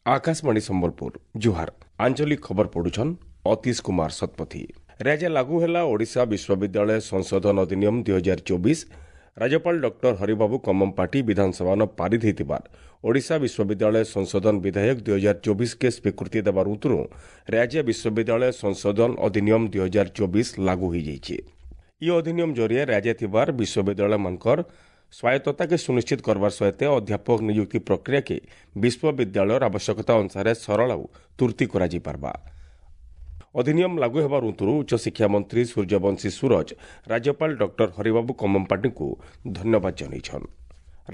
ଆକାଶବାଣୀ ସମ୍ବଲପୁର, ଜୁହାର। ଆଞ୍ଚଳିକ ଖବର ପଢୁଛନ୍ ଅତୀଶ କୁମାର ଶତପଥୀ। ରାଜ୍ୟ ଲାଗୁ ହେଲା ଓଡ଼ିଶା ବିଶ୍ୱବିଦ୍ୟାଳୟ ସଂଶୋଧନ ଅଧିନିୟମ 2024। ରାଜ୍ୟପାଳ ଡକ୍ଟର ହରିବାବୁ କମ୍ମମପାଟି ବିଧାନସଭାନ ପାରିତ ହୋଇଥିବାର ଓଡ଼ିଶା ବିଶ୍ୱବିଦ୍ୟାଳୟ ସଂଶୋଧନ ବିଧେୟକ 2024କେ ସ୍ୱୀକୃତି ଦେବାର ଉତ୍ତରୁ ରାଜ୍ୟ ବିଶ୍ୱବିଦ୍ୟାଳୟ ସଂଶୋଧନ ଅଧିନିୟମ 2024 ଲାଗୁ ହୋଇଯାଇଛି। ଇ ଅଧିନିୟମ ଜରିଏ ରାଜ୍ୟ ଥିବାର ବିଶ୍ୱବିଦ୍ୟାଳୟମାନଙ୍କର ସ୍ୱାୟତ୍ତତାକେ ସୁନିଶ୍ଚିତ କରବାର ସହିତ ଅଧ୍ୟାପକ ନିଯୁକ୍ତି ପ୍ରକ୍ରିୟାକେ ବିଶ୍ୱବିଦ୍ୟାଳୟର ଆବଶ୍ୟକତା ଅନୁସାରେ ସରଳ ଆଉ ତୁର୍ତ୍ତି କରାଯାଇପାରବା। ଅଧିନିୟମ ଲାଗୁ ହେବାର ଉତ୍ତରୁ ଉଚ୍ଚଶିକ୍ଷା ମନ୍ତ୍ରୀ ସୂର୍ଯ୍ୟବଂଶୀ ସୂରଜ ରାଜ୍ୟପାଳ ଡକ୍ଟର ହରିବାବୁ କମ୍ମମପାଟିଙ୍କୁ ଧନ୍ୟବାଦ ଜଣାଇଛନ୍।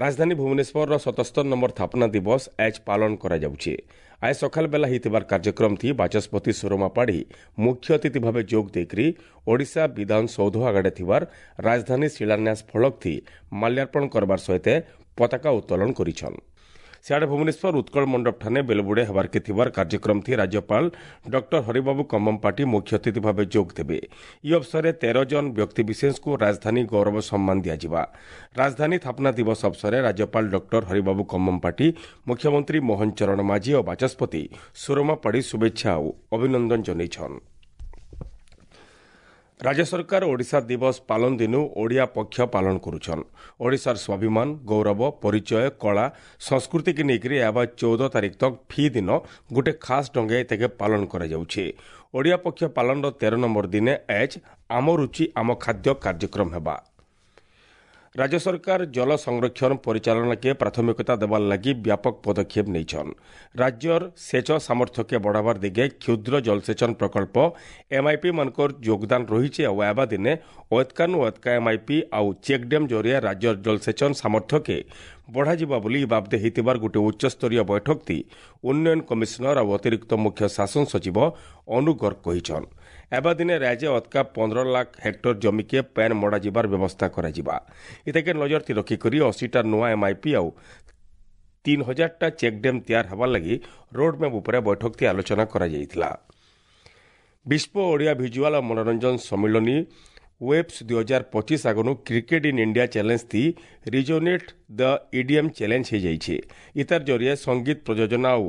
ରାଜଧାନୀ ଭୁବନେଶ୍ୱରର 77 ନମ୍ବର ସ୍ଥାପନା ଦିବସ ଆଜ ପାଳନ କରାଯାଉଛି। ଆজ ସକାଳ ବେଲା ହେଇଥିବାର କାର୍ଯ୍ୟକ୍ରମ ଥି ବାଚସ୍ପତି ସୁରମା ପାଢ଼ୀ ମୁଖ୍ୟ ଅତିଥି ଭାବେ ଯୋଗ ଦେଇକରି ଓଡ଼ିଶା ବିଧାନସୌଧ ଆଗରେ ଥିବାର ରାଜଧାନୀ ଶିଳାନ୍ୟାସ ଫଳକ ଥି ମାଲ୍ୟାର୍ପଣ କରବାର ସହିତ ପତାକା ଉତ୍ତୋଳନ କରିଛନ୍। ସିଆଡ଼େ ଭୁବନେଶ୍ୱର ଉତ୍କଳ ମଣ୍ଡପଠାନେ ବେଲବୁଡ଼େ ହେବାର୍କେ ଥିବାର କାର୍ଯ୍ୟକ୍ରମ ଥି ରାଜ୍ୟପାଳ ଡକ୍ଟର ହରିବାବୁ କମ୍ମମପାଟି ମୁଖ୍ୟ ଅତିଥି ଭାବେ ଯୋଗ ଦେବେ। ଇ ଅବସରରେ 13 ଜଣ ବ୍ୟକ୍ତିବିଶେଷଙ୍କୁ ରାଜଧାନୀ ଗୌରବ ସମ୍ମାନ ଦିଆଯିବା। ରାଜଧାନୀ ସ୍ଥାପନା ଦିବସ ଅବସରରେ ରାଜ୍ୟପାଳ ଡକ୍ଟର ହରିବାବୁ କମ୍ମମପାଟି, ମୁଖ୍ୟମନ୍ତ୍ରୀ ମୋହନ ଚରଣ ମାଝୀ ଓ ବାଚସ୍ପତି ସୁରମା ପାଢ଼ୀ ଶୁଭେଚ୍ଛା ଓ ଅଭିନନ୍ଦନ ଜଣାଇଛନ୍। ରାଜ୍ୟ ସରକାର ଓଡ଼ିଶା ଦିବସ ପାଳନ ଦିନୁ ଓଡ଼ିଆ ପକ୍ଷ ପାଳନ କରୁଛନ୍। ଓଡ଼ିଶାର ସ୍ୱାଭିମାନ, ଗୌରବ, ପରିଚୟ, କଳା, ସଂସ୍କୃତିକେ ନେଇକରି ଏହା 14 ତାରିଖ ତକ୍ ଫି ଦିନ ଗୋଟେ ଖାସ୍ ଢଙ୍ଗେ ଏତାକେ ପାଳନ କରାଯାଉଛି। ଓଡ଼ିଆ ପକ୍ଷ ପାଳନର 13 ନମ୍ବର ଦିନେ ଆଜ୍ ଆମ ରୁଚି ଆମ ଖାଦ୍ୟ କାର୍ଯ୍ୟକ୍ରମ ହେବା। ରାଜ୍ୟ ସରକାର ଜଳ ସଂରକ୍ଷଣ ପରିଚାଳନାକେ ପ୍ରାଥମିକତା ଦେବାର ଲାଗି ବ୍ୟାପକ ପଦକ୍ଷେପ ନେଇଛନ୍। ରାଜ୍ୟର ସେଚ ସାମର୍ଥ୍ୟକେ ବଢ଼ାବାର ଦିଗେ କ୍ଷୁଦ୍ର ଜଳସେଚନ ପ୍ରକଳ୍ପ ଏମ୍ଆଇପି ମାନଙ୍କର ଯୋଗଦାନ ରହିଛି। ଆଉ ଆବା ଦିନେ ଅଏତ୍କାନୁ ଅଏତ୍କା ଏମ୍ଆଇପି ଆଉ ଚେକ୍ ଡ୍ୟାମ୍ ଜରିଆ ରାଜ୍ୟର ଜଳସେଚନ ସାମର୍ଥ୍ୟକେ ବଢ଼ାଯିବା ବୋଲି ଇ ବାବଦେ ହେଇଥିବାର ଗୋଟିଏ ଉଚ୍ଚସ୍ତରୀୟ ବୈଠକଟି ଉନ୍ନୟନ କମିଶନର ଆଉ ଅତିରିକ୍ତ ମୁଖ୍ୟ ଶାସନ ସଚିବ ଅନୁ ଗର୍ଗ କହିଛନ୍। ଏବା ଦିନେ ରାଜ୍ୟ ଅତକା 15 ଲାଖ ହେକ୍ଟର ଜମିକେ ପ୍ୟାନ୍ ମଡ଼ାଯିବାର ବ୍ୟବସ୍ଥା କରାଯିବା। ଏତାକେ ନଜର ରଖିକରି 80ଟା ନୂଆ ଏମ୍ଆଇପି ଆଉ 3000ଟା ଚେକ୍ ଡ୍ୟାମ୍ ତିଆର ହେବାର ଲାଗି ରୋଡ୍ ମ୍ୟାପ୍ ଉପରେ ବୈଠକଟି ଆଲୋଚନା କରାଯାଇଥିଲା। ବିଶ୍ୱ ଓଡ଼ିଆ ଭିଜୁଆଲ ଆଉ ମନୋରଞ୍ଜନ ସମ୍ମିଳନୀ ୱେବ୍ସ 2025 ଆଗନୁ create in India challenge the resonate the EDM challenge ହେଇଯାଇଛି। ଇତାର ଜରିଏ ସଙ୍ଗୀତ ପ୍ରଯୋଜନା ଆଉ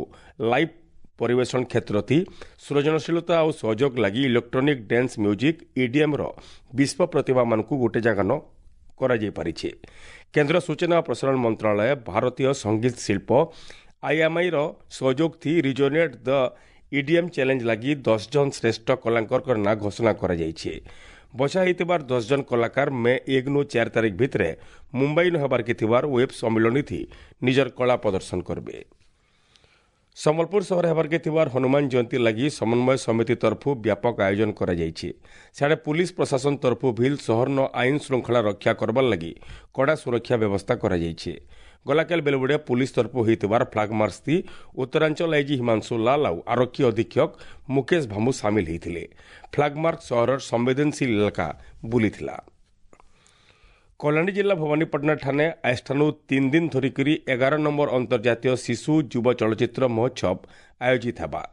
ଲାଇଭ୍ ପରିବେଷଣ କ୍ଷେତ୍ର ଥି ସୃଜନଶୀଳତା ଆଉ ସହଯୋଗ ଲାଗି ଇଲେକ୍ଟ୍ରୋନିକ୍ ଡ୍ୟାନ୍ସ ମ୍ୟୁଜିକ୍ ଇଡିଏମ୍ର ବିଶ୍ୱ ପ୍ରତିଭାମାନଙ୍କୁ ଗୋଟେ ଜାଗାନ କରାଯାଇପାରିଛି। କେନ୍ଦ୍ର ସୂଚନା ଓ ପ୍ରସାରଣ ମନ୍ତ୍ରଣାଳୟ ଭାରତୀୟ ସଙ୍ଗୀତ ଶିଳ୍ପ ଆଇଏମ୍ଆଇର ସହଯୋଗ ଥି ରିଜୋନେଟ୍ ଦ ଇଡିଏମ୍ ଚ୍ୟାଲେଞ୍ଜ ଲାଗି 10 ଜଣ ଶ୍ରେଷ୍ଠ କଳାକାରଙ୍କ ନାଁ ଘୋଷଣା କରାଯାଇଛି। ବଛା ହେଇଥିବାର 10 ଜଣ କଳାକାର ମେ 1 4 ତାରିଖ ଭିତରେ ମୁମ୍ବାଇନ ହେବାର୍କେ ଥିବାର ୱେବ୍ ସମ୍ମିଳନୀ ନିଜର କଳା ପ୍ରଦର୍ଶନ କରିବେ। ସମ୍ବଲପୁର ସହର ହେବାର୍କେ ଥିବାର ହନୁମାନ ଜୟନ୍ତୀ ଲାଗି ସମନ୍ୱୟ ସମିତି ତରଫରୁ ବ୍ୟାପକ ଆୟୋଜନ କରାଯାଇଛି। ସିଆଡ଼େ ପୁଲିସ ପ୍ରଶାସନ ତରଫରୁ ଭିଲ୍ ସହରନ ଆଇନ ଶୃଙ୍ଖଳା ରକ୍ଷା କରବାର ଲାଗି କଡ଼ା ସୁରକ୍ଷା ବ୍ୟବସ୍ଥା କରାଯାଇଛି। ଗଲାକାଲି ବେଲବୁଡ଼ିଆ ପୁଲିସ ତରଫରୁ ହୋଇଥିବାର ଫ୍ଲାଗ ମାର୍ଚ୍ଚ ଉତ୍ତରାଞ୍ଚଳ ଆଇଜି ହିମାଂଶୁ ଲାଲ ଆଉ ଆରକ୍ଷୀ ଅଧୀକ୍ଷକ ମୁକେଶ ଭାମୁ ସାମିଲ ହୋଇଥିଲେ। ଫ୍ଲାଗ ମାର୍ଚ୍ଚ ସହରର ସମ୍ବେଦନଶୀଳ ଇଲାକା ବୁଲିଥିଲା। କଳାହାଣ୍ଡି ଜିଲ୍ଲା ଭବାନୀପାଟଣା ଠାନେ ଆଜଠାନୁ 3 ଦିନ ଧରିକରି 11 ନମ୍ବର ଅନ୍ତର୍ଜାତୀୟ ଶିଶୁ ଯୁବ ଚଳଚ୍ଚିତ୍ର ମହୋତ୍ସବ ଆୟୋଜିତ ହେବା।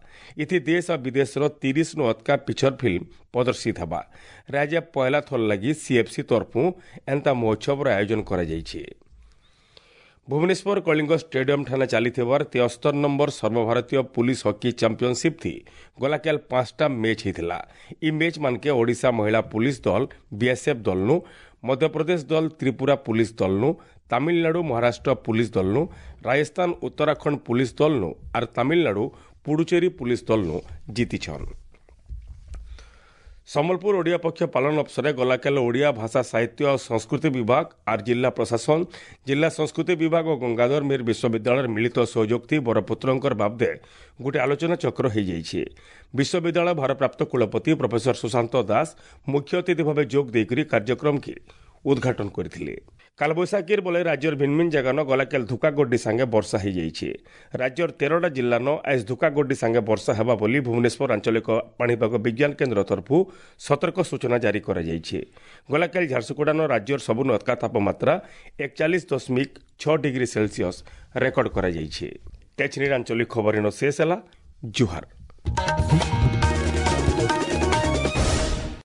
ଏଥି ଦେଶ ଆଉ ବିଦେଶର 30ନୁ ଅତକା ପିକ୍ଚର ଫିଲ୍ମ ପ୍ରଦର୍ଶିତ ହେବା। ରାଜ୍ୟ ପହିଲା ଥର ଲାଗି ସିଏଫ୍ସି ତରଫରୁ ଏନ୍ତା ମହୋତ୍ସବର ଆୟୋଜନ କରାଯାଇଛି। ଭୁବନେଶ୍ୱର କଳିଙ୍ଗ ଷ୍ଟାଡିୟମ ଠାନେ ଚାଲିଥିବାର 73 ନମ୍ବର ସର୍ବଭାରତୀୟ ପୁଲିସ ହକି ଚାମ୍ପିଅନସିପ୍ ଥି ଗଲାକାଲ 5ଟା ମ୍ୟାଚ୍ ହେଇଥିଲା। ଇ ମ୍ୟାଚ୍ ମାନକେ ଓଡ଼ିଶା ମହିଳା ପୁଲିସ ଦଳ ବିଏସ୍ଏଫ୍ ଦଳନୁ, ମଧ୍ୟପ୍ରଦେଶ ଦଳ ତ୍ରିପୁରା ପୁଲିସ ଦଳନୁ, ତାମିଲନାଡୁ ମହାରାଷ୍ଟ୍ର ପୁଲିସ ଦଳନୁ, ରାଜସ୍ଥାନ ଉତ୍ତରାଖଣ୍ଡ ପୁଲିସ ଦଳନୁ ଆର୍ ତାମିଲନାଡୁ ପୁଡୁଚେରୀ ପୁଲିସ ଦଳନୁ ଜିତିଛନ୍। ସମ୍ବଲପୁର ଓଡ଼ିଆ ପକ୍ଷ ପାଳନ ଅବସରରେ ଗଲାକାଲି ଓଡ଼ିଆ ଭାଷା ସାହିତ୍ୟ ଆଉ ସଂସ୍କୃତି ବିଭାଗ ଆର୍ ଜିଲ୍ଲା ପ୍ରଶାସନ, ଜିଲ୍ଲା ସଂସ୍କୃତି ବିଭାଗ ଓ ଗଙ୍ଗାଧର ମେହେର ବିଶ୍ୱବିଦ୍ୟାଳୟର ମିଳିତ ସହଯୋଗ ଥି ବରପୁତ୍ରଙ୍କର ବାବଦେ ଗୋଟେ ଆଲୋଚନା ଚକ୍ର ହୋଇଯାଇଛି। ବିଶ୍ୱବିଦ୍ୟାଳୟ ଭାରପ୍ରାପ୍ତ କୁଳପତି ପ୍ରଫେସର ସୁଶାନ୍ତ ଦାସ ମୁଖ୍ୟ ଅତିଥି ଭାବେ ଯୋଗ ଦେଇକରି କାର୍ଯ୍ୟକ୍ରମକେ ଉଦ୍ଘାଟନ କରିଥିଲେ। କାଲବୈଶାଖୀର ବଲେ ରାଜ୍ୟର ଭିନ୍ନ ଭିନ୍ନ ଜାଗାନ ଗଲାକାଲି ଧୁକାଗଡ୍ଡି ସାଙ୍ଗେ ବର୍ଷା ହୋଇଯାଇଛି। ରାଜ୍ୟର 13ଟା ଜିଲ୍ଲାନ ଆଜ ଧୁକାଗଡ୍ଡି ସାଙ୍ଗେ ବର୍ଷା ହେବା ବୋଲି ଭୁବନେଶ୍ୱର ଆଞ୍ଚଳିକ ପାଣିପାଗ ବିଜ୍ଞାନ କେନ୍ଦ୍ର ତରଫରୁ ସତର୍କ ସୂଚନା ଜାରି କରାଯାଇଛି। ଗଲାକାଲି ଝାରସୁଗୁଡ଼ାନ ରାଜ୍ୟର ସବୁନୁ ଅତକା ତାପମାତ୍ରା 41.6 ଡିଗ୍ରୀ ସେଲସିୟସ୍ ରେକର୍ଡ କରାଯାଇଛି। ତେଛନିର ଆଞ୍ଚଳିକ ଖବର ଶେଷ ହେଲା। ଜୁହାର।